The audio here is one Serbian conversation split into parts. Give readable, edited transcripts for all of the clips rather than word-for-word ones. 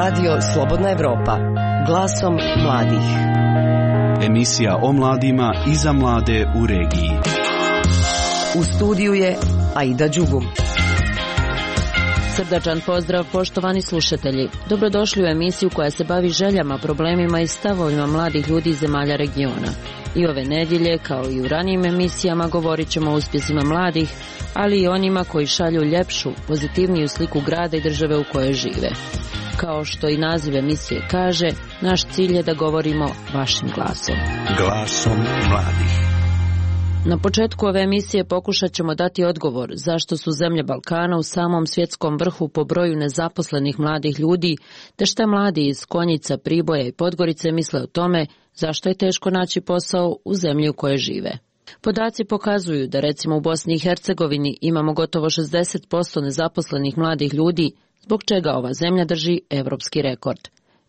Radio Slobodna Evropa, glasom mladih. Emisija o mladima i za mlade u regiji. U studiju je Aida Đugum. Srdačan pozdrav, poštovani slušatelji. Dobrodošli u emisiju koja se bavi željama, problemima i stavovima mladih ljudi iz zemalja regiona. I ove nedjelje, kao i u ranijim emisijama, govorit ćemo o uspjesima mladih, ali i onima koji šalju ljepšu, pozitivniju sliku grada i države u kojoj žive. Kao što i naziv emisije kaže, naš cilj je da govorimo vašim glasom. Glasom mladih. Na početku ove emisije pokušat ćemo dati odgovor zašto su zemlje Balkana u samom svjetskom vrhu po broju nezaposlenih mladih ljudi, te šta mladi iz Konjica, Priboja i Podgorice misle o tome zašto je teško naći posao u zemlji u kojoj žive. Podaci pokazuju da recimo u Bosni i Hercegovini imamo gotovo 60% nezaposlenih mladih ljudi, zbog čega ova zemlja drži evropski rekord.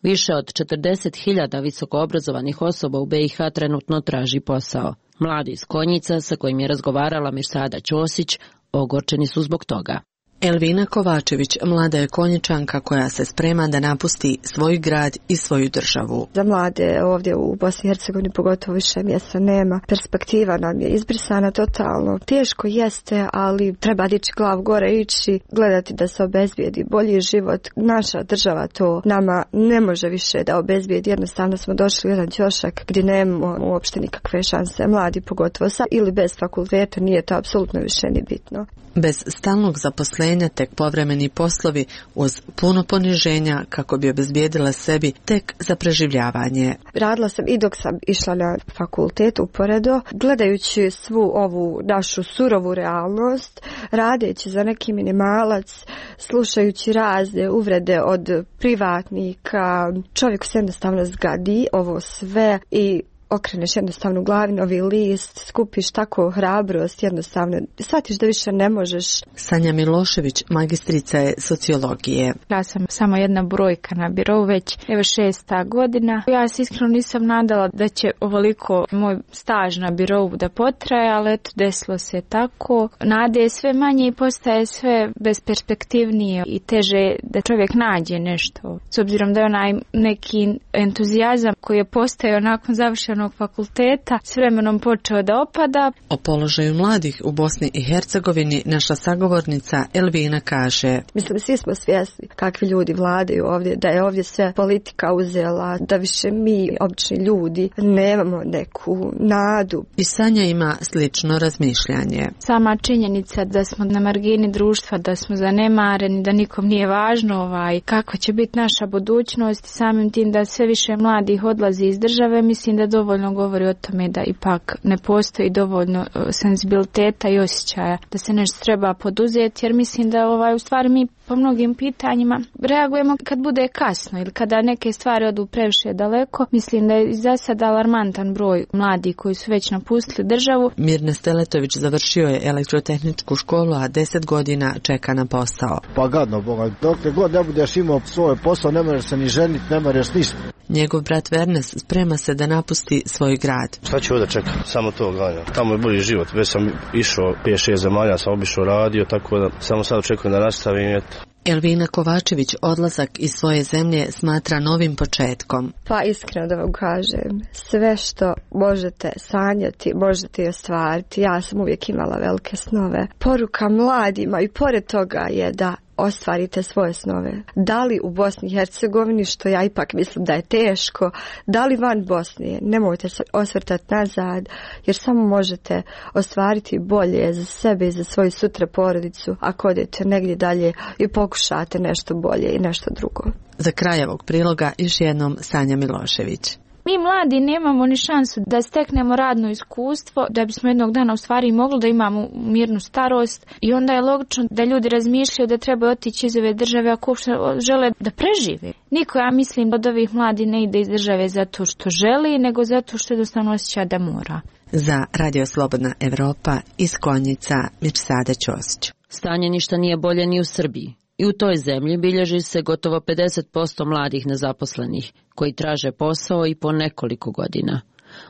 Više od 40.000 visokoobrazovanih osoba u BiH trenutno traži posao. Mladi iz Konjica, sa kojim je razgovarala Mirsada Ćosić, ogorčeni su zbog toga. Elvina Kovačević, mlada je Konjičanka koja se sprema da napusti svoj grad i svoju državu. Za mlade ovdje u Bosni i Hercegovini pogotovo više mjesta nema. Perspektiva nam je izbrisana totalno. Teško jeste, ali treba dići glavu gore, ići, gledati da se obezbijedi bolji život. Naša država to nama ne može više da obezbijedi. Jednostavno smo došli u jedan ćošak gdje nemamo uopšte nikakve šanse. Mladi pogotovo sa ili bez fakulteta nije to apsolutno više ni bitno. Bez stalnog zaposlenja, tek povremeni poslovi uz puno poniženja kako bi obezbijedila sebi tek za preživljavanje. Radila sam i dok sam išla na fakultet uporedo, gledajući svu ovu našu surovu realnost, radeći za neki minimalac, slušajući razne uvrede od privatnika. Čovjek se jednostavno zgadi ovo sve i okreneš jednostavno glavi novi list, skupiš tako hrabrost, jednostavno shvatiš da više ne možeš. Sanja Milošević, magistrica je sociologije. Ja sam samo jedna brojka na birou, već 6. godina. Ja se iskreno nisam nadala da će ovoliko moj staž na birou da potraje, ali eto, desilo se tako. Nade je sve manje i postaje sve besperspektivnije i teže da čovjek nađe nešto. S obzirom da je onaj neki entuzijazam koji je postojao nakon završenog fakulteta s vremenom počeo da opada. O položaju mladih u Bosni i Hercegovini naša sagovornica Elvina kaže: Mislim, svi smo svjesni kakvi ljudi vladaju ovdje, da je ovdje sve politika uzela, da više mi, obični ljudi, nemamo neku nadu. I Sanja ima slično razmišljanje. Sama činjenica da smo na margini društva, da smo zanemareni, da nikom nije važno kako će biti naša budućnost, samim tim da sve više mladih odlazi iz države, mislim da dovoljno govori o tome da ipak ne postoji dovoljno senzibiliteta i osjećaja da se nešto treba poduzeti, jer mislim da u stvari mi po mnogim pitanjima reagujemo kad bude kasno ili kada neke stvari odu previše daleko. Mislim da je za sad alarmantan broj mladih koji su već napustili državu. Mirne Steletović završio je elektrotehničku školu, a 10 godina čeka na posao. Pa gadno, Boga, dok god ne budeš imao svoj posao, ne možeš se ni ženiti, ne možeš ništa. Njegov brat Vernes sprema se da napusti svoj grad. Šta ću ovdje čekati? Samo to gledam. Tamo je bolji život. Već sam išao 5-6 zemalja, sam obišao radio, tako da samo sad očekujem da nastavim. Elvina Kovačević odlazak iz svoje zemlje smatra novim početkom. Pa iskreno da vam kažem, sve što možete sanjati, možete i ostvariti. Ja sam uvijek imala velike snove. Poruka mladima i pored toga je da ostvarite svoje snove. Da li u Bosni i Hercegovini, što ja ipak mislim da je teško, da li van Bosne, nemojte se osvrtati nazad, jer samo možete ostvariti bolje za sebe i za svoju sutra porodicu ako odete negdje dalje i pokušate nešto bolje i nešto drugo. Za kraj ovog priloga još jednom Sanja Milošević. Mi mladi nemamo ni šansu da steknemo radno iskustvo, da bismo jednog dana u stvari mogli da imamo mirnu starost, i onda je logično da ljudi razmišljaju da treba otići iz ove države ako uopšte žele da prežive. Niko, ja mislim, od ovih mladi ne ide iz države zato što želi, nego zato što jednostavno osjeća da mora. Za Radio Slobodna Evropa iz Konjica, Mirsada Ćosić. Stanje ništa nije bolje ni u Srbiji. I u toj zemlji bilježi se gotovo 50% mladih nezaposlenih, koji traže posao i po nekoliko godina.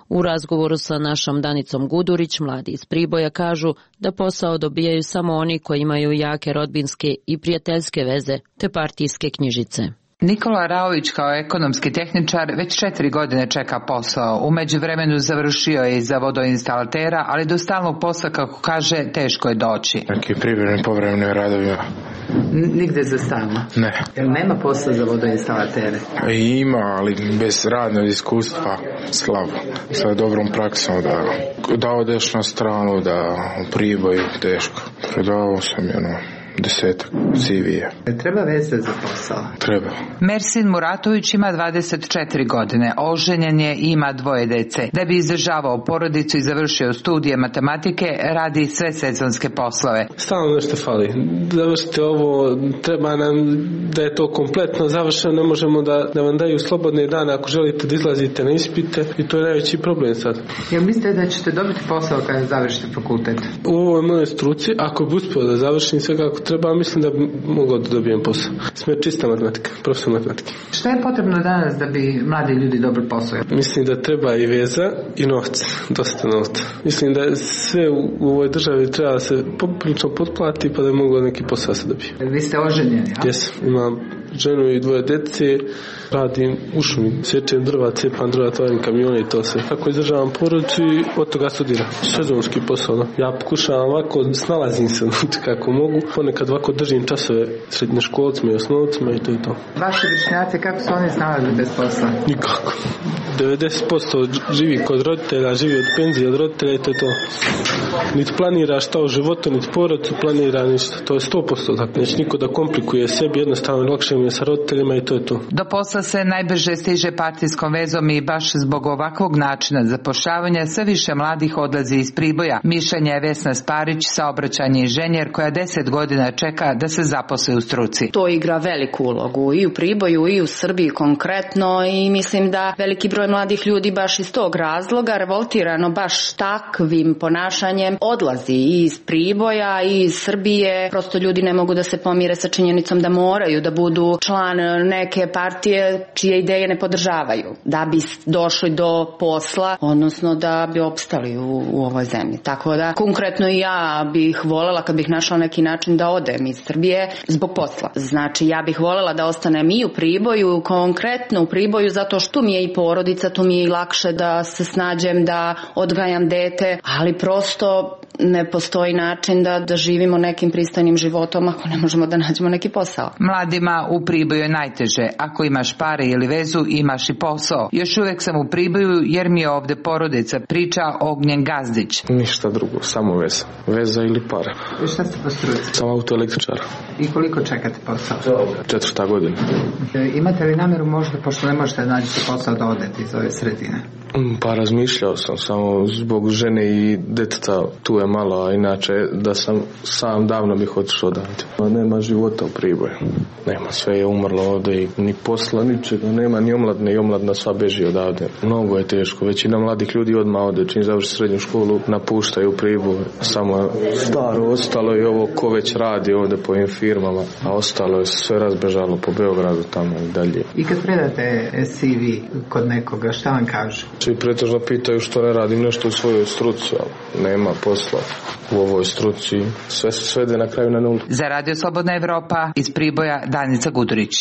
U razgovoru sa našom Danicom Gudurić, mladi iz Priboja kažu da posao dobijaju samo oni koji imaju jake rodbinske i prijateljske veze te partijske knjižice. Nikola Raović kao ekonomski tehničar već 4 godine čeka posao. U međuvremenu završio je i za vodoinstalatera, ali do stalnog posla, kako kaže, teško je doći. Neki privremeni povremeni radovi. Nigde za stalno? Ne. Jel nema posla za vodoinstalatere? Ima, ali bez radnog iskustva slabo. Sa dobrom praksom da odeš na stranu, da u Priboj teško. Predavao sam 10 CV-a. Treba veze za posao? Treba. Mersin Muratović ima 24 godine, oženjen je i ima 2 dece. Da bi izdržavao porodicu i završio studije matematike, radi sve sezonske poslove. Stalno nešto fali. Završite ovo, treba nam da je to kompletno završeno, ne možemo da vam daju slobodne dane ako želite da izlazite na ispite i to je najveći problem sad. Jel mislite da ćete dobiti posao kada završite fakultet? U ovoj mojoj struci, ako bi uspio da završim sve kako treba, mislim da bi mogao da dobijem posao. Sme čista matematika, profesor matematike. Šta je potrebno danas da bi mladi ljudi dobili posao? Mislim da treba i veza i novac, dosta novca. Mislim da sve u ovoj državi treba se poprilično potplati pa da bi mogao neki posao se dobije. Vi ste oženjeni, a? Jesam, imam ženu i 2 dece, radim u šumi, sječem drva, cepam drva, tovarim kamione i to sve. Tako izdržavam porodicu i od toga studiram. Sezonski posao, da. Ja pokušavam ovako, snalazim se kako mogu, ponekad ovako držim časove srednjoškolcima i osnovcima i to je to. Vaši vršnjaci, kako su oni snalazili bez posla? Nikako. 90% živi kod roditelja, živi od penzije od roditelja i to je to. Niti planira šta u životu, niti porodicu planira ništa. To je 100%. Dakle, neće niko da komplikuje sebi, jednostavno lakše mi je sa roditeljima i to je to. Do posla se najbrže stiže partijskom vezom i baš zbog ovakvog načina zapošljavanja sve više mladih odlazi iz Priboja. Mišljenje je Vesna Sparić, saobraćajni inženjer koja 10 godina čeka da se zaposli u struci. To igra veliku ulogu i u Priboju i u Srbiji konkretno i mislim da veliki broj mladih ljudi baš iz tog razloga revoltirano baš takvim ponašanjem odlazi i iz Priboja i iz Srbije. Prosto ljudi ne mogu da se pomire sa činjenicom da moraju da budu član neke partije čije ideje ne podržavaju da bi došli do posla, odnosno da bi opstali u ovoj zemlji. Tako da konkretno i ja bih voljela kad bih našla neki način da odem iz Srbije zbog posla. Znači ja bih voljela da ostanem i u Priboju, konkretno u Priboju zato što mi je i porodica, tu mi je i lakše da se snađem, da odgajam dete, ali prosto ne postoji način da živimo nekim pristojnim životom ako ne možemo da nađemo neki posao. Mladima u Priboju je najteže. Ako imaš pare ili vezu, imaš i posao. Još uvek sam u Priboju jer mi je ovde porodica, priča Ognjen Gazdić. Ništa drugo, samo veza. Veza ili para. I šta ste po struci? Sam autoelektričar. I koliko čekate posao? 4. godina. Imate li namjeru možda, pošto ne možete naći posao, da odete iz ove sredine? Pa razmišljao sam, samo zbog žene i deteta tu je malo, a inače da sam sam davno bih otišao odavde. Nema života u Priboju. Nema, sve je umrlo ovdje i ni posla, ničega, nema ni omladne i omladna sva beži odavde. Mnogo je teško, većina mladih ljudi odmah ovdje, čim završi srednju školu, napuštaju Priboj. Samo staro ostalo i ovo ko već radi ovdje po ovim firmama, a ostalo je sve razbežalo po Beogradu tamo i dalje. I kad predate CV kod nekoga, šta vam kažu? Svi pretežno pitaju što ne radim nešto u svojoj struci, ali nema posla u ovoj struci. Sve se svede na kraju na nulu. Za Radio Slobodna Evropa iz Priboja Danica Gudurić.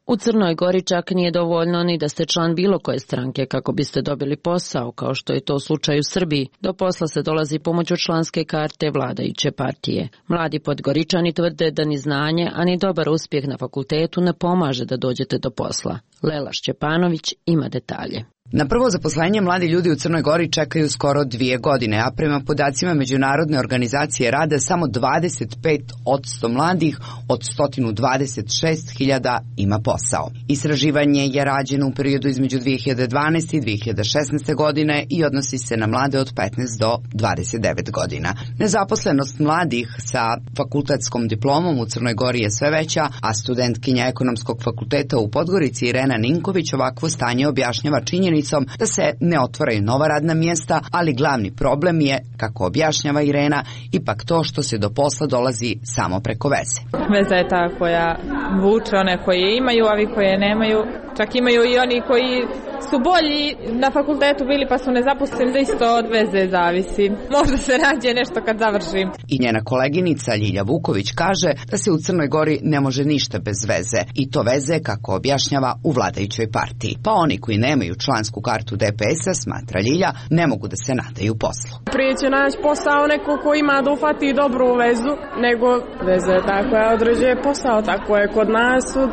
U Crnoj Gori čak nije dovoljno ni da ste član bilo koje stranke kako biste dobili posao, kao što je to slučaj u Srbiji. Do posla se dolazi pomoću članske karte vladajuće partije. Mladi Podgoričani tvrde da ni znanje, a ni dobar uspjeh na fakultetu ne pomaže da dođete do posla. Lela Šćepanović ima detalje. Na prvo zaposlenje mladi ljudi u Crnoj Gori čekaju skoro 2 godine, a prema podacima Međunarodne organizacije rada samo 25% mladih od 126.000 ima posao. Istraživanje je rađeno u periodu između 2012. i 2016. godine i odnosi se na mlade od 15 do 29 godina. Nezaposlenost mladih sa fakultetskom diplomom u Crnoj Gori je sve veća, a studentkinja Ekonomskog fakulteta u Podgorici Irena Ninković ovakvo stanje objašnjava činjenicom da se ne otvaraju nova radna mjesta, ali glavni problem je, kako objašnjava Irena, ipak to što se do posla dolazi samo preko veze. Veza je ta koja vuče one koje imaju, a vi koje nemaju. Čak imaju i oni koji su bolji na fakultetu bili pa su nezaposleni, da isto od veze zavisi. Možda se nađe nešto kad završim. I njena koleginica Ljilja Vuković kaže da se u Crnoj Gori ne može ništa bez veze. I to veze, kako objašnjava, u vladajućoj partiji. Pa oni koji nemaju člansku kartu DPS-a, smatra Ljilja, ne mogu da se nadaju poslu. Prije će naći posao neko ko ima da ufati dobru vezu, nego veze tako je određuje posao, tako je kod nas od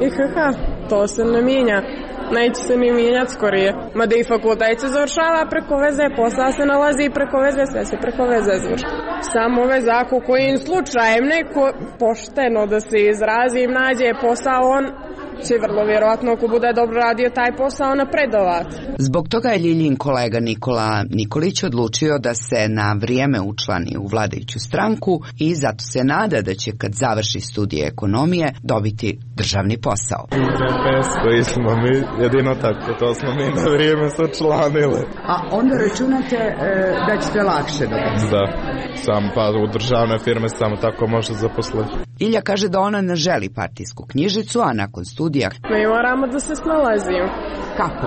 IHH. To se ne mijenja. Neće se ni mijenjati skorije. Mada i fakultet se završava preko veze, posao se nalazi preko veze, sve se preko veze završava. Samo veze, ako kojim slučajem neko pošteno da se izrazim nađe posao, on će vrlo vjerovatno, ako bude dobro radio taj posao, napredovati. Zbog toga je Ljiljin kolega Nikola Nikolić odlučio da se na vrijeme učlani u vladajuću stranku i zato se nada da će kad završi studije ekonomije dobiti državni posao. DPS koji smo mi, jedino tako, to smo mi na vrijeme se učlanili. A onda računate da ćete lakše dobiti? Da, sam pa u državne firme samo tako može zaposliti. Ilja kaže da ona ne želi partijsku knjižicu, a nakon studija mi moramo da se snalazimo. Kako?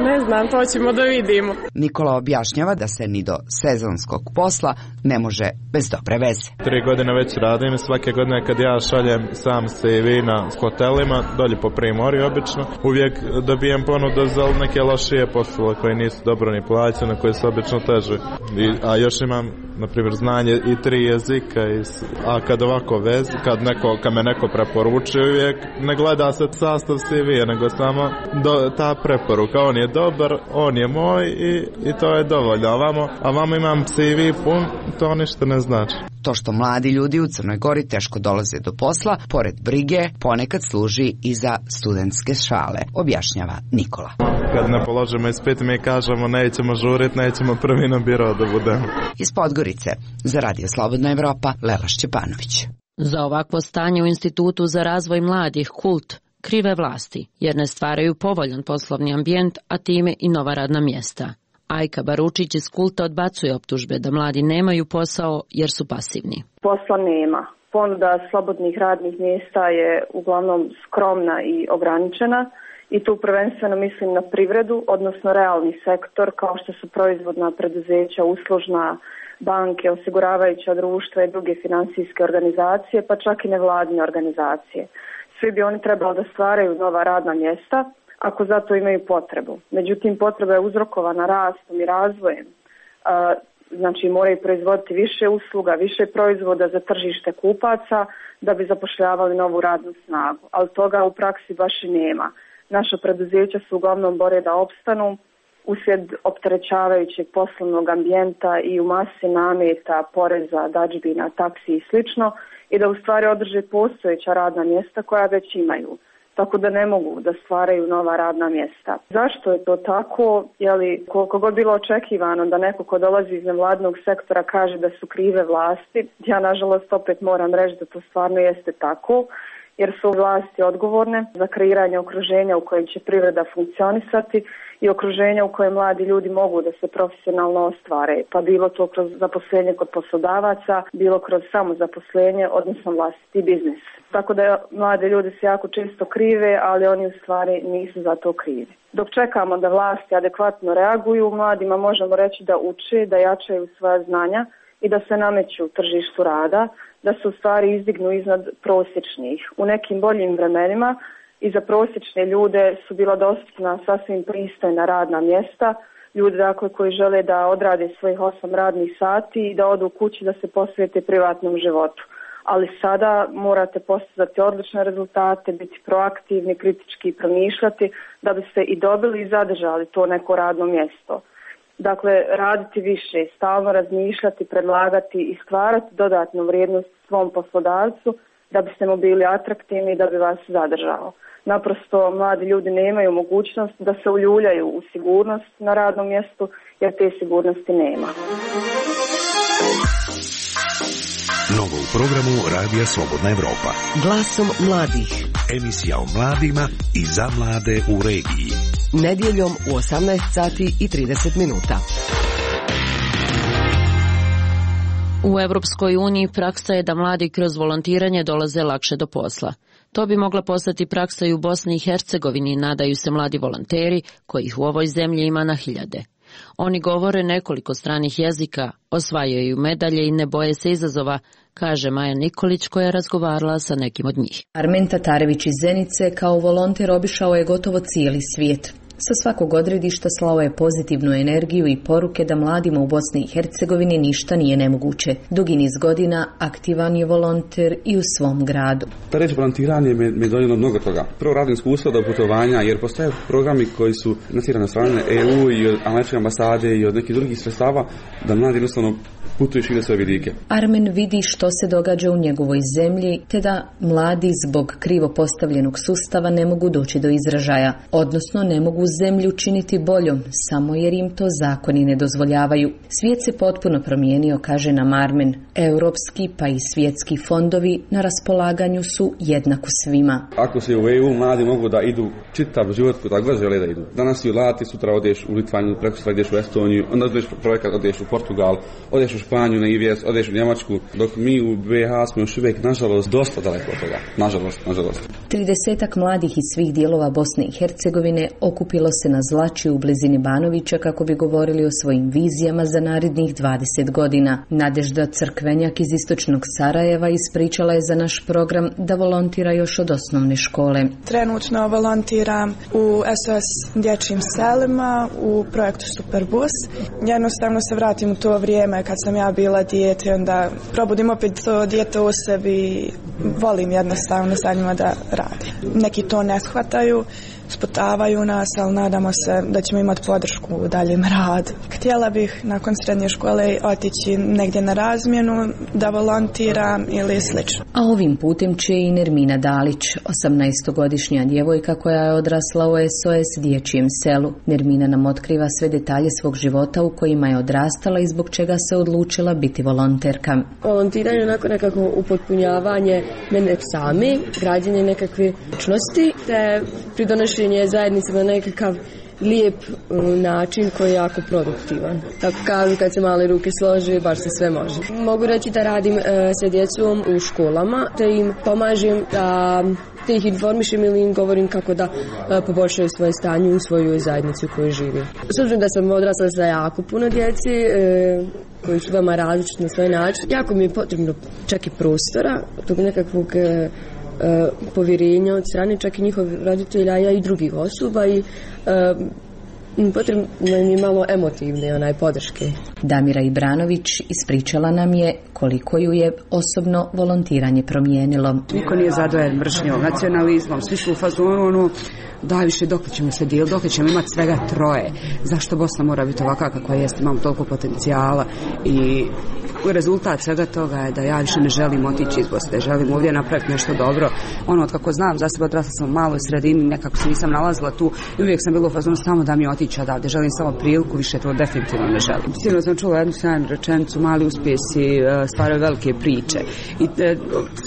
Ne znam, to ćemo da vidimo. Nikola objašnjava da se ni do sezonskog posla ne može bez dobre veze. 3 godine već radim, svake godine kad ja šaljem sam CV na hotelima, dolje po Primorju obično, uvijek dobijem ponudu za neke lošije poslove koje nisu dobro ni plaćene, koje su obično teže. A još imam, na primjer, znanje i 3 jezika, a kad ovako vez, kad me neko preporuči, uvijek ne gleda se sastav CV, nego samo ta preporuka, on je dobar, on je moj i to je dovoljno. A vamo imam CV pun, to ništa ne znači. To što mladi ljudi u Crnoj Gori teško dolaze do posla, pored brige, ponekad služi i za studentske šale, objašnjava Nikola. Kad ne položimo ispit, mi kažemo nećemo žurit, nećemo prvi na biro da budemo. Iz Podgorice, za Radio Slobodna Evropa, Lela Šćepanović. Za ovakvo stanje u Institutu za razvoj mladih KULT krive vlasti, jer ne stvaraju povoljan poslovni ambijent, a time i nova radna mjesta. Ajka Baručić iz KULT-a odbacuje optužbe da mladi nemaju posao jer su pasivni. Posla nema. Ponuda slobodnih radnih mjesta je uglavnom skromna i ograničena i tu prvenstveno mislim na privredu, odnosno realni sektor kao što su proizvodna preduzeća, uslužna, banke, osiguravajuća društva i druge financijske organizacije, pa čak i nevladine organizacije. Svi bi oni trebali da stvaraju nova radna mjesta ako zato imaju potrebu. Međutim, potreba je uzrokovana rastom i razvojem. Znači, moraju proizvoditi više usluga, više proizvoda za tržište kupaca da bi zapošljavali novu radnu snagu. Ali toga u praksi baš i nema. Naša preduzeća su uglavnom bore da opstanu uslijed opterećavajućeg poslovnog ambijenta i u masi nameta, poreza, dadžbina, taksi i slično, i da u stvari održe postojeća radna mjesta koja već imaju. Tako da ne mogu da stvaraju nova radna mjesta. Zašto je to tako? Koliko god bilo očekivano da neko ko dolazi iz nevladnog sektora kaže da su krive vlasti, ja nažalost opet moram reći da to stvarno jeste tako, jer su vlasti odgovorne za kreiranje okruženja u kojem će privreda funkcionisati i okruženja u kojem mladi ljudi mogu da se profesionalno ostvare, pa bilo to kroz zaposlenje kod poslodavaca, bilo kroz samozaposlenje, odnosno vlastiti biznis. Tako da mlade ljudi se jako često krive, ali oni u stvari nisu za to krivi. Dok čekamo da vlasti adekvatno reaguju, mladima možemo reći da uče, da jačaju svoja znanja i da se nameću tržištu rada, da se u stvari izdignu iznad prosječnih. U nekim boljim vremenima i za prosječne ljude su bila dostupna sasvim pristojna radna mjesta, ljudi dakle koji žele da odrade svojih 8 radnih sati i da odu kući da se posvete privatnom životu. Ali sada morate postizati odlične rezultate, biti proaktivni, kritički promišljati da biste i dobili i zadržali to neko radno mjesto. Dakle, raditi više, stalno razmišljati, predlagati i stvarati dodatnu vrijednost svom poslodavcu da biste mu bili atraktivni i da bi vas zadržao. Naprosto, mladi ljudi nemaju mogućnost da se uljuljaju u sigurnost na radnom mjestu, jer te sigurnosti nema. Novo u programu Radija Slobodna Evropa. Glasom mladih. Emisija o mladima i za mlade u regiji. Nedjeljom u 18 sati i 30 minuta. U Europskoj uniji praksa je da mladi kroz volontiranje dolaze lakše do posla. To bi mogla postati praksa i u Bosni i Hercegovini, nadaju se mladi volonteri, kojih u ovoj zemlji ima na hiljade. Oni govore nekoliko stranih jezika, osvajaju medalje i ne boje se izazova, kaže Maja Nikolić koja je razgovarala sa nekim od njih. Armen Tatarević iz Zenice kao volonter obišao je gotovo cijeli svijet. Sa svakog odredišta slao je pozitivnu energiju i poruke da mladima u Bosni i Hercegovini ništa nije nemoguće. Dugi niz godina aktivan je volonter i u svom gradu. Ta reč volontiranje me donijelo mnogo toga. Prvo radim iskustvo do putovanja jer postoje programi koji su financirani od strane EU i od američke ambasade i od nekih drugih sredstava da mladi jednostavno putuju šire svoje vidike. Armen vidi što se događa u njegovoj zemlji, te da mladi zbog krivo postavljenog sustava ne mogu doći do izražaja, odnosno ne mogu zemlju činiti boljom, samo jer im to zakoni ne dozvoljavaju. Svijet se potpuno promijenio, kaže nam Armen. Europski pa i svjetski fondovi na raspolaganju su jednako svima. Ako se u EU mladi mogu da idu čitav život kuda god žele da idu. Danas i u Lati, sutra odeš u Litvaniju, prekosutra ideš u Estoniju, onda odeš projekat, odeš u Portugal, odeš u Španiju na IVS, odeš u Njemačku, dok mi u BiH smo još uvijek, nažalost, dosta daleko od toga. Nažalost. 30 mladih iz svih dijelova Bosne i Hercegovine okupilo se na Zlači u blizini Banovića kako bi govorili o svojim vizijama za narednih 20 godina. Nadežda Crkvenjak iz istočnog Sarajeva ispričala je za naš program da volontira još od osnovne škole. Trenutno volontiram u SOS dječjim selima u projektu Superbus. Jednostavno se vratim u to vrijeme kad sam ja bila dijete, onda probudim opet to dijete u sebi i volim jednostavno sa njima da radim. Neki to ne shvataju, sputavaju nas, ali nadamo se da ćemo imati podršku u daljem radu. Htjela bih nakon srednje škole otići negdje na razmjenu, da volontiram ili slično. A ovim putem će i Nermina Dalić, 18-godišnja djevojka koja je odrasla u SOS dječjem selu. Nermina nam otkriva sve detalje svog života u kojima je odrastala i zbog čega se odlučila biti volonterka. Volontiranje je nekako upotpunjavanje mene sami, građenje nekakve ličnosti, te pridonošenje zajednice na nekakav lijep način koji je jako produktivan. Tako kažu, kad se male ruke slože, baš se sve može. Mogu reći da radim sa djecom u školama, te im pomažem da te ih informišem ili im govorim kako da poboljšaju svoje stanje u svojoj zajednici u kojoj živim. S obzirom da sam odrasla sa jako puno djeci koji su veoma različiti na svoj način, jako mi je potrebno čak i prostora, tog nekakvog povjerenja od strane čak i njihovih roditelja, ja i drugih osoba i potrebno mi malo emotivne podrške. Damira Ibranović ispričala nam je koliko ju je osobno volontiranje promijenilo. Niko nije zadovoljan mržnjom, nacionalizmom, svi su u fazonu daj više dok ćemo se dijeli, dok ćemo imati svega 3. Zašto Bosna mora biti ovakva kakva jeste, imamo toliko potencijala i rezultat svega toga je da ja više ne želim otići iz Bosne, želim ovdje napraviti nešto dobro. Od kako znam, za sebe odrasla sam u maloj sredini, nekako se nisam nalazila tu i uvijek sam bila u fazonu samo da mi otići odavde, želim samo priliku, više to definitivno ne želim. Sigurno sam čula jednu sjajnu rečenicu, mali uspjesi stvaraju velike priče i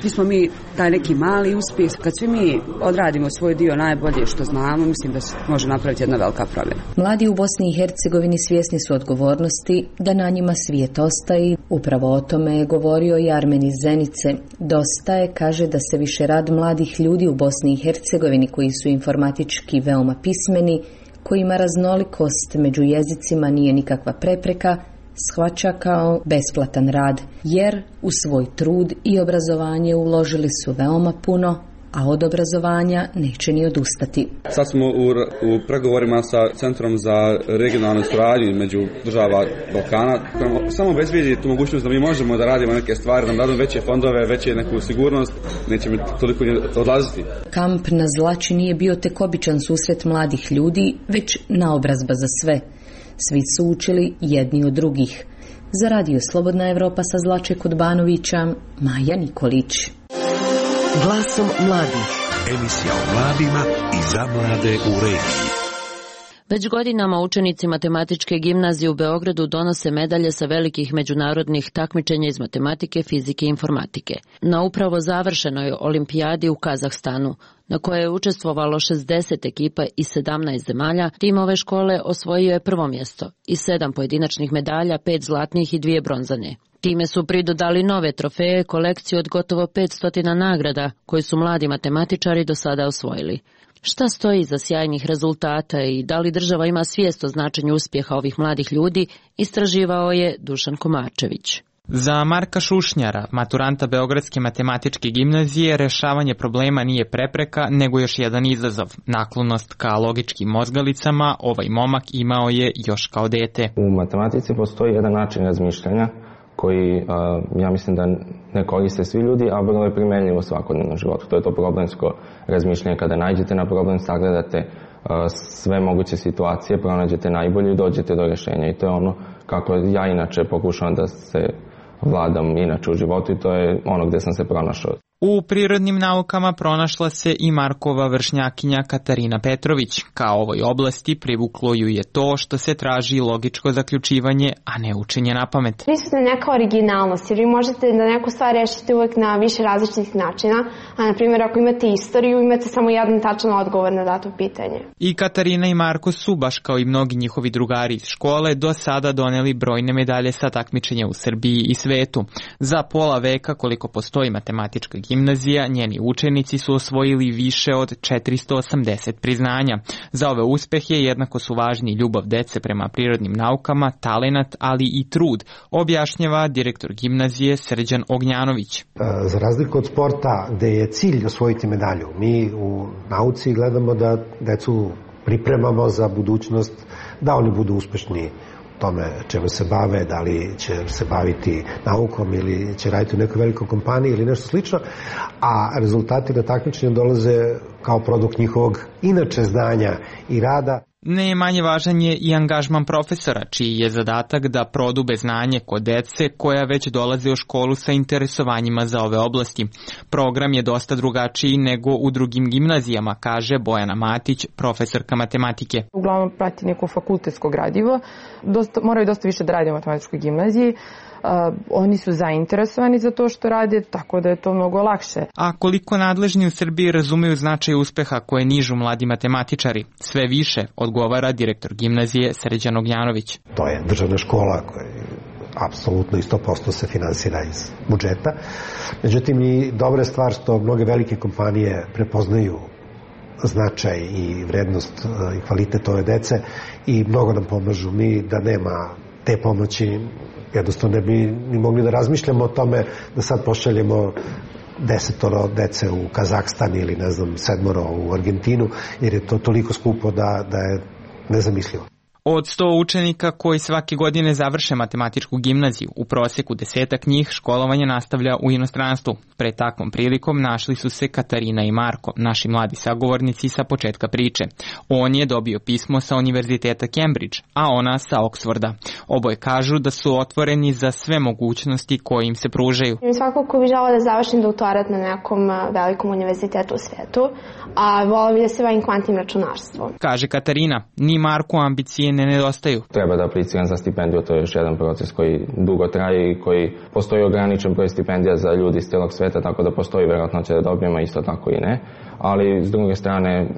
svi smo mi taj neki mali uspjeh, kad svi mi odradimo svoj dio najbolje što znamo, mislim da se može napraviti jedna velika promjena. Mladi u Bosni i Hercegovini svjesni su odgovornosti da na njima svijet ostaje. Upravo o tome je govorio i Armen iz Zenice. Dosta je, kaže, da se više rad mladih ljudi u Bosni i Hercegovini koji su informatički veoma pismeni, kojima raznolikost među jezicima nije nikakva prepreka, shvaća kao besplatan rad, jer u svoj trud i obrazovanje uložili su veoma puno, a od obrazovanja neće ni odustati. Sad smo u pregovorima sa Centrom za regionalnu suradnju među država Balkana. Samo obezbedi tu mogućnost da mi možemo da radimo neke stvari, da nam dadu veće fondove, veće neku sigurnost, nećemo toliko odlaziti. Kamp na Zlači nije bio tek običan susret mladih ljudi, već naobrazba za sve. Svi su učili jedni od drugih. Za Radio Slobodna Evropa sa Zlače kod Banovića, Maja Nikolić. Glasom mladih. Emisija o mladima i za mlade u regiji. Već godinama učenici Matematičke gimnazije u Beogradu donose medalje sa velikih međunarodnih takmičenja iz matematike, fizike i informatike. Na upravo završenoj olimpijadi u Kazahstanu, na kojoj je učestvovalo 60 ekipa iz 17 zemalja, tim ove škole osvojio je prvo mjesto i 7 pojedinačnih medalja, 5 zlatnih i 2 bronzane. Time su pridodali nove trofeje, kolekciju od gotovo 500 nagrada koje su mladi matematičari do sada osvojili. Šta stoji iza sjajnih rezultata i da li država ima svijest o značenju uspjeha ovih mladih ljudi, istraživao je Dušan Komačević. Za Marka Šušnjara, maturanta Beogradske matematičke gimnazije, rešavanje problema nije prepreka, nego još jedan izazov. Naklonost ka logičkim mozgalicama ovaj momak imao je još kao dete. U matematici postoji jedan način razmišljanja koji, ja mislim da ne koriste svi ljudi, a vrlo je primenljivo u svakodnevnom životu. To je to problemsko razmišljanje. Kada nađete na problem, sagledate sve moguće situacije, pronađete najbolje i dođete do rješenja. I to je ono kako ja inače pokušavam da se vladam inače u životu i to je ono gdje sam se pronašao. U prirodnim naukama pronašla se i Markova vršnjakinja Katarina Petrović. Kao ovoj oblasti privuklo ju je to što se traži logičko zaključivanje, a ne učenje na pamet. Prisutna neka originalnost, jer vi možete da neku stvar rešite uvek na više različitih načina, a na primjer ako imate istoriju, imate samo jedan tačan odgovor na dato pitanje. I Katarina i Marko su, baš kao i mnogi njihovi drugari iz škole, do sada doneli brojne medalje sa takmičenja u Srbiji i svetu. Za pola veka koliko postoji matematička gimnazija, njeni učenici su osvojili više od 480 priznanja. Za ove uspehe jednako su važni ljubav dece prema prirodnim naukama, talenat, ali i trud, objašnjava direktor gimnazije Srđan Ognjanović. Za razliku od sporta gde je cilj osvojiti medalju, mi u nauci gledamo da decu pripremamo za budućnost, da oni budu uspešni tome čemu se bave, da li će se baviti naukom ili će raditi u nekoj velikoj kompaniji ili nešto slično, a rezultati na takmičenju dolaze kao produkt njihovog inače znanja i rada. Ne manje važan je i angažman profesora, čiji je zadatak da prodube znanje kod dece koja već dolaze u školu sa interesovanjima za ove oblasti. Program je dosta drugačiji nego u drugim gimnazijama, kaže Bojana Matić, profesorka matematike. Uglavnom prati neko fakultetsko gradivo, moraju dosta više da rade u matematičkoj gimnaziji. Oni su zainteresovani za to što rade, tako da je to mnogo lakše. A koliko nadležni u Srbiji razumeju značaj uspeha koje nižu mladi matematičari? Sve više, odgovara direktor gimnazije Srđan Ognjanović. To je državna škola koja apsolutno i 100% se finansira iz budžeta. Međutim, i dobra je stvar što mnoge velike kompanije prepoznaju značaj i vrednost i kvalitet ove dece i mnogo nam pomažu. Mi da nema te pomoći jednostavno ne bi ni mogli da razmišljamo o tome da sad pošaljemo 10 dece u Kazahstan ili 7 u Argentinu, jer je to toliko skupo da je nezamislivo. Od 100 učenika koji svake godine završe matematičku gimnaziju, u prosjeku 10 njih školovanje nastavlja u inostranstvu. Pred takvom prilikom našli su se Katarina i Marko, naši mladi sagovornici sa početka priče. On je dobio pismo sa Univerziteta Cambridge, a ona sa Oxforda. Oboje kažu da su otvoreni za sve mogućnosti koje im se pružaju. Svakako bi želao da završim doktorat na nekom velikom univerzitetu u svetu, a volao bi da se bavim kvantnim računarstvom. Kaže Katarina, ni Marku ambicije ne nedostaju. Treba da apliciram za stipendiju, to je još jedan proces koji dugo traje i koji postoji ograničen broj stipendija za ljudi iz cijelog sveta, tako da postoji vjerojatnoća da dobijemo, isto tako i ne. Ali s druge strane,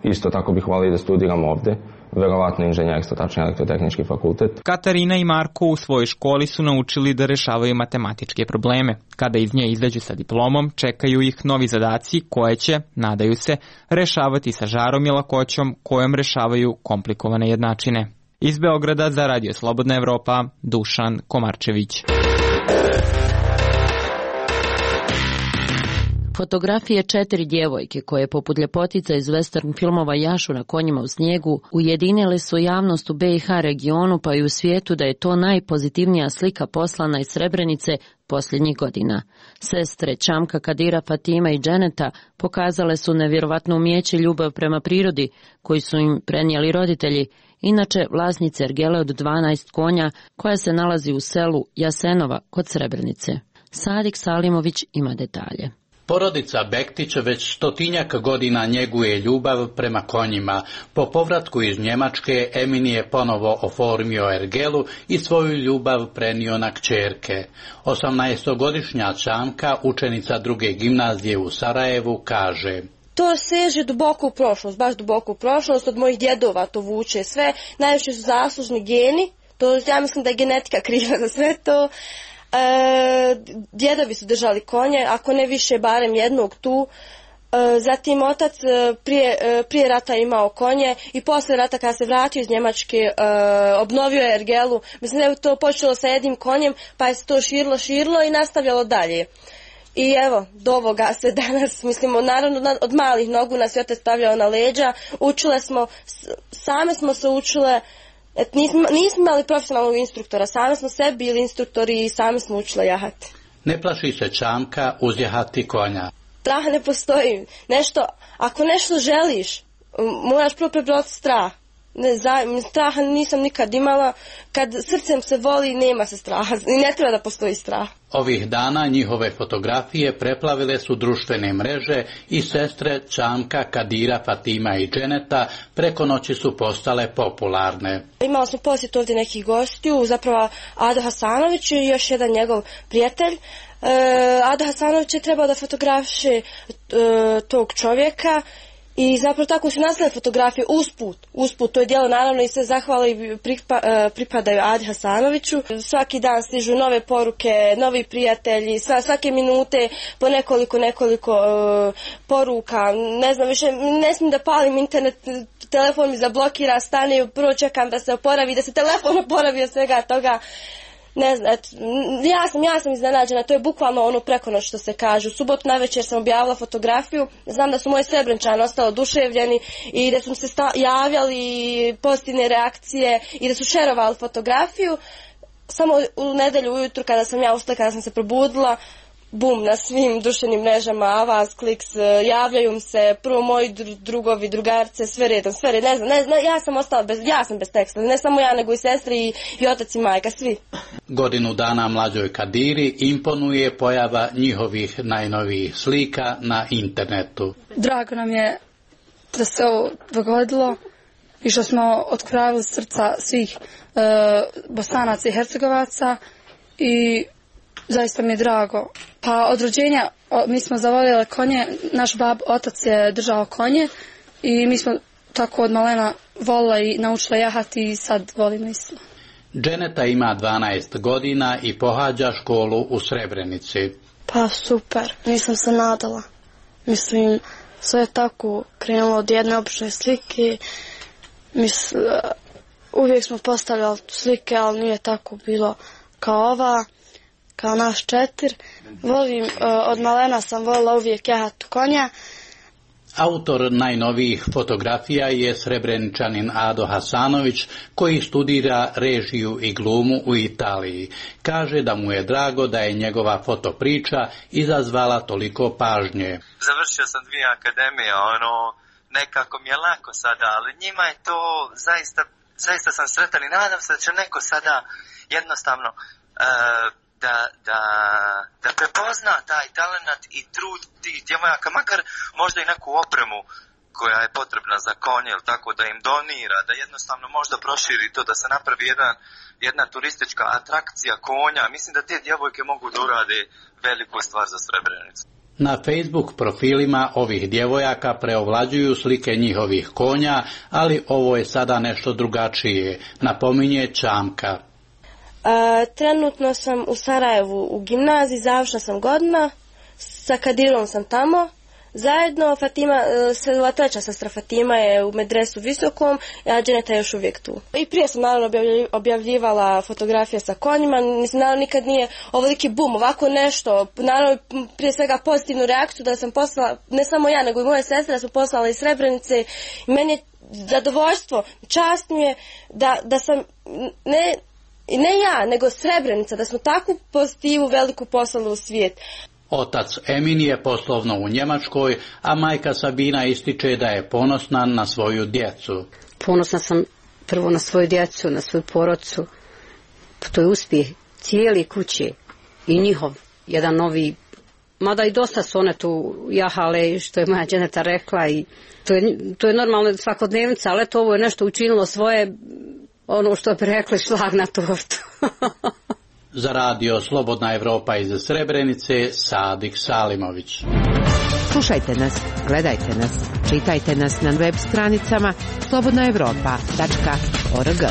isto tako bih volio da studiram ovde, verovatno inženjerstvo, tačnije elektrotehnički fakultet. Katarina i Marko u svojoj školi su naučili da rešavaju matematičke probleme. Kada iz nje izađu sa diplomom, čekaju ih novi zadaci koje će, nadaju se, rešavati sa žarom i lakoćom kojom rešavaju komplikovane jednačine. Iz Beograda za Radio Slobodna Evropa, Dušan Komarčević. Fotografije 4 djevojke koje poput ljepotica iz western filmova jašu na konjima u snijegu ujedinile su javnost u BiH regionu pa i u svijetu da je to najpozitivnija slika poslana iz Srebrenice posljednjih godina. Sestre Čamka, Kadira, Fatima i Dženeta pokazale su nevjerovatno umijeće i ljubav prema prirodi koji su im prenijeli roditelji, inače vlasnice ergele od 12 konja koja se nalazi u selu Jasenova kod Srebrenice. Sadik Salimović ima detalje. Porodica Bektić već 100-tinjak godina njeguje ljubav prema konjima. Po povratku iz Njemačke Emin je ponovo oformio ergelu i svoju ljubav prenio na kćerke. 18-godišnja Čamka, učenica druge gimnazije u Sarajevu, kaže: To seže duboko u prošlost, baš duboko u prošlost, od mojih djedova to vuče sve. Najviše su zaslužni geni, to ja mislim da je genetika kriva za sve to. Djedovi su držali konje, ako ne više barem jednog tu. Zatim otac prije rata imao konje i posle rata kada se vratio iz Njemačke obnovio je ergelu. Mislim da je to počelo sa jednim konjem pa je se to širilo i nastavljalo dalje. I evo, do ovoga sve danas, mislimo, naravno od malih nogu nas je otac stavljao na leđa, učile smo, same smo se učile. Nismo imali profesionalnog instruktora, sami smo sebi bili instruktori i sami smo učili jahati. Ne plaši se Čamka uzjahati konja. Strah ne postoji. Ako nešto želiš, moraš prvo prebroditi strah. Straha nisam nikad imala. Kad srcem se voli, nema se straha i ne treba da postoji strah. Ovih dana njihove fotografije preplavile su društvene mreže i sestre Čamka, Kadira, Fatima i Dženeta preko noći su postale popularne. Imala smo posjet ovdje nekih gostiju, zapravo Ado Hasanović i još jedan njegov prijatelj. Ado Hasanović je trebao da fotografiše tog čovjeka. I zapravo tako su nastale fotografije usput, to je djelo naravno i sve zahvale i pripadaju Adi Hasanoviću. Svaki dan stižu nove poruke, novi prijatelji, svake minute po nekoliko poruka, ne znam više, ne smijem da palim internet, telefon mi zablokira, stane, prvo čekam da se oporavi, da se telefon oporavi od svega toga. Ne znam, ja sam iznenađena, to je bukvalno ono preko noć što se kaže. U subotu navečer sam objavila fotografiju, znam da su moji Srebrenčani ostali oduševljeni i da su se javljali pozitivne reakcije i da su šerovali fotografiju. Samo u nedelju ujutru kada sam ja ustala, kada sam se probudila, bum, na svim društvenim mrežama, avaz, kliks, javljaju se, prvo moji drugovi, drugarce, sve redom, ne znam, ja sam ostala bez teksta, ne samo ja, nego i sestri i otac i majka, svi. Godinu dana mlađoj Kadiri imponuje pojava njihovih najnovijih slika na internetu. Drago nam je da se ovo dogodilo i što smo otkravili srca svih Bosanaca i Hercegovaca i zaista mi je drago. Pa od rođenja mi smo zavoljeli konje, naš otac je držao konje i mi smo tako od malena volili i naučili jahati i sad volimo isto. Dženeta ima 12 godina i pohađa školu u Srebrenici. Pa super, nisam se nadala. Mislim, sve je tako krenulo od jedne obične slike. Uvijek smo postavljali slike, ali nije tako bilo kao ova. Kao naš četir. Volim, od malena sam volila uvijek jahati konja. Autor najnovijih fotografija je Srebreničanin Ado Hasanović, koji studira režiju i glumu u Italiji. Kaže da mu je drago da je njegova fotopriča izazvala toliko pažnje. Završio sam 2 akademije, nekako mi je lako sada, ali njima je to zaista sam sretan i nadam se da će neko sada jednostavno da prepozna taj talent i trud tih djevojaka, makar možda i neku opremu koja je potrebna za konje, ili tako, da im donira, da jednostavno možda proširi to, da se napravi jedna turistička atrakcija konja. Mislim da te djevojke mogu da urade veliku stvar za Srebrenicu. Na Facebook profilima ovih djevojaka preovlađuju slike njihovih konja, ali ovo je sada nešto drugačije, napominje Čamka. Trenutno sam u Sarajevu u gimnaziji, završna sam godina, sa Kadirom sam tamo, zajedno Fatima, treća sestra Fatima je u medresu visokom, a Dženeta je još uvijek tu. I prije sam naravno objavljivala fotografije sa konjima, mislim naravno nikad nije ovoliki bum, ovako nešto, naravno prije svega pozitivnu reakciju da sam poslala, ne samo ja nego i moje sestre, da smo poslala iz Srebrenice i meni je zadovoljstvo, čast mi je da sam, ne ja, nego Srebrenica, da smo takvu pozitivu veliku poslali u svijet. Otac Emin je poslovno u Njemačkoj, a majka Sabina ističe da je ponosna na svoju djecu. Ponosna sam prvo na svoju djecu, na svoju porodcu. To je uspjeh cijeli kuće i njihov jedan novi Mada i dosta su one tu jahale, što je moja dženeta rekla, i to je normalno svakodnevnica, ali eto, ovo je nešto učinilo svoje, ono što bi rekli, šlag na tortu. Za radio Slobodna Evropa iz Srebrenice, Sadik Salimović. Slušajte nas, gledajte nas, čitajte nas na web stranicama slobodnaevropa.org.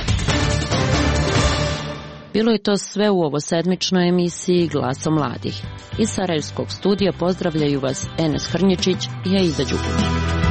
Bilo je to sve u ovo sedmičnoj emisiji Glasom mladih. Iz Sarajevskog studija pozdravljaju vas Enes Hrnječić i Aida Đukić.